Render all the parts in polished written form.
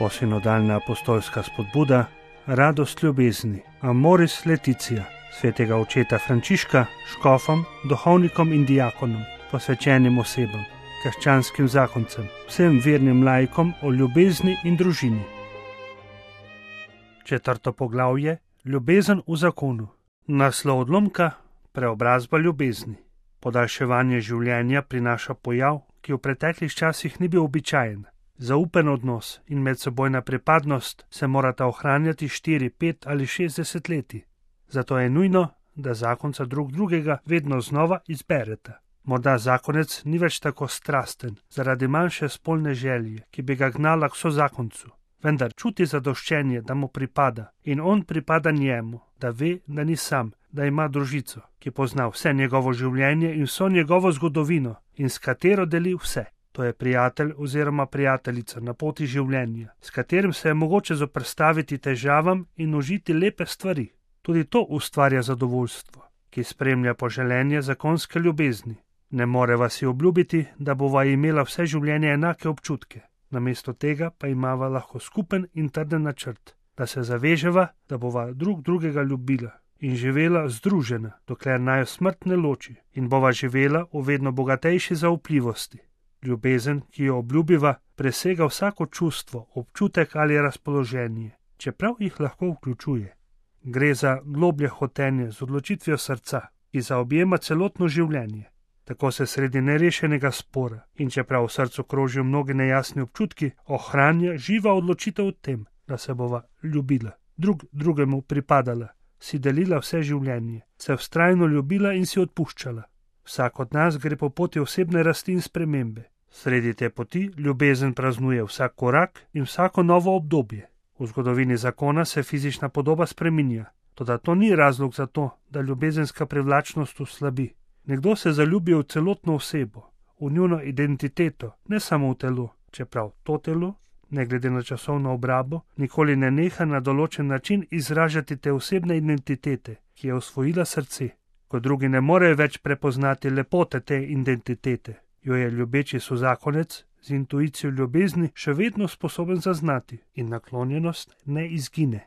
novosinodalna apostolska spodbuda, radost ljubezni, Amoris Laetitia, svetega očeta Frančiška, škofom, duhovnikom in diakonom, posvečenim osebam, krščanskim zakoncem, vsem vernim laikom o ljubezni in družini. 4. poglavje, ljubezen v zakonu. Naslov odlomka, preobrazba ljubezni. Podaljševanje življenja prinaša pojav, ki v preteklih časih ni bil običajen. Zaupen odnos in medsebojna pripadnost se morata ohranjati 4, 5 ali 6 desetletij. Zato je nujno, da zakonca drug drugega vedno znova izbereta. Morda zakonec ni več tako strasten zaradi manjše spolne želje, ki bi ga gnala k sozakoncu, vendar čuti zadoščenje, da mu pripada in on pripada njemu, da ve, da ni sam, da ima družico, ki pozna vse njegovo življenje in vso njegovo zgodovino in s katero deli vse. To je prijatelj oziroma prijateljica na poti življenja, s katerim se je mogoče zoperstaviti težavam in užiti lepe stvari. Tudi to ustvarja zadovoljstvo, ki spremlja poželenje zakonske ljubezni. Ne moreva si obljubiti, da bova imela vse življenje enake občutke. Namesto tega pa imava lahko skupen in trden načrt, da se zaveževa, da bova drug drugega ljubila in živela združena, dokler naju smrt ne loči, in bova živela v vedno bogatejši zaupljivosti. Ljubezen, ki jo obljubiva, presega vsako čustvo, občutek ali razpoloženje, čeprav jih lahko vključuje. Gre za globlje hotenje z odločitvijo srca, ki zaobjema celotno življenje. Tako se sredi nerešenega spora in čeprav v srcu krožijo mnogi nejasni občutki, ohranja živa odločitev o tem, da se bova ljubila, drug drugemu pripadala, si delila vse življenje, se vztrajno ljubila in si odpuščala. Vsak od nas gre po poti osebne rasti in spremembe. Sredi te poti ljubezen praznuje vsak korak in vsako novo obdobje. V zgodovini zakona se fizična podoba spreminja, toda to ni razlog za to, da ljubezenska privlačnost oslabi. Nekdo se zaljubi v celotno osebo, v njuno identiteto, ne samo v telo, čeprav to telo, ne glede na časovno obrabo, nikoli ne neha na določen način izražati te osebne identitete, ki je osvojila srce. Ko drugi ne morejo več prepoznati lepote te identitete, jo je ljubeči sozakonec z intuicijo ljubezni še vedno sposoben zaznati in naklonjenost ne izgine.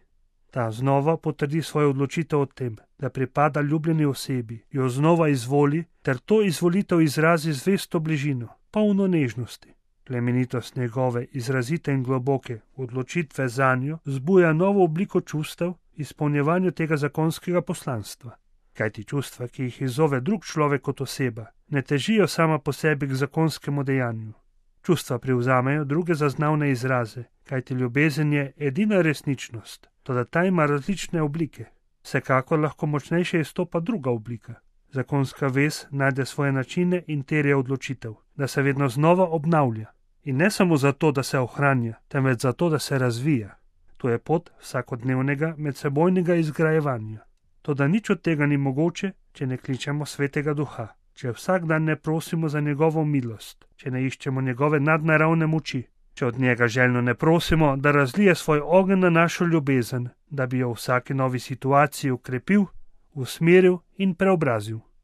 Ta znova potrdi svojo odločitev o tem, da pripada ljubljeni osebi, jo znova izvoli ter to izvolitev izrazi zvesto bližino, polno nežnosti. Plemenitost njegove izrazite in globoke odločitve zanjo zbuja novo obliko čustev izpolnjevanju tega zakonskega poslanstva. Kajti čustva, ki jih izzove drug človek kot oseba, ne težijo sama po sebi k zakonskemu dejanju. Čustva privzamejo druge zaznavne izraze, kajti ljubezen je edina resničnost, toda ta ima različne oblike. Vsekakor lahko močnejše izstopa druga oblika. Zakonska vez najde svoje načine in terja odločitev, da se vedno znova obnavlja. In ne samo zato, da se ohranja, temveč zato, da se razvija. To je pot vsakodnevnega medsebojnega izgrajevanja. Toda nič od tega ni mogoče, če ne kličemo Svetega Duha, če vsak dan ne prosimo za njegovo milost, če ne iščemo njegove nadnaravne moči, če od njega željno ne prosimo, da razlije svoj ogenj na našo ljubezen, da bi jo v vsaki novi situaciji ukrepil, usmeril in preobrazil.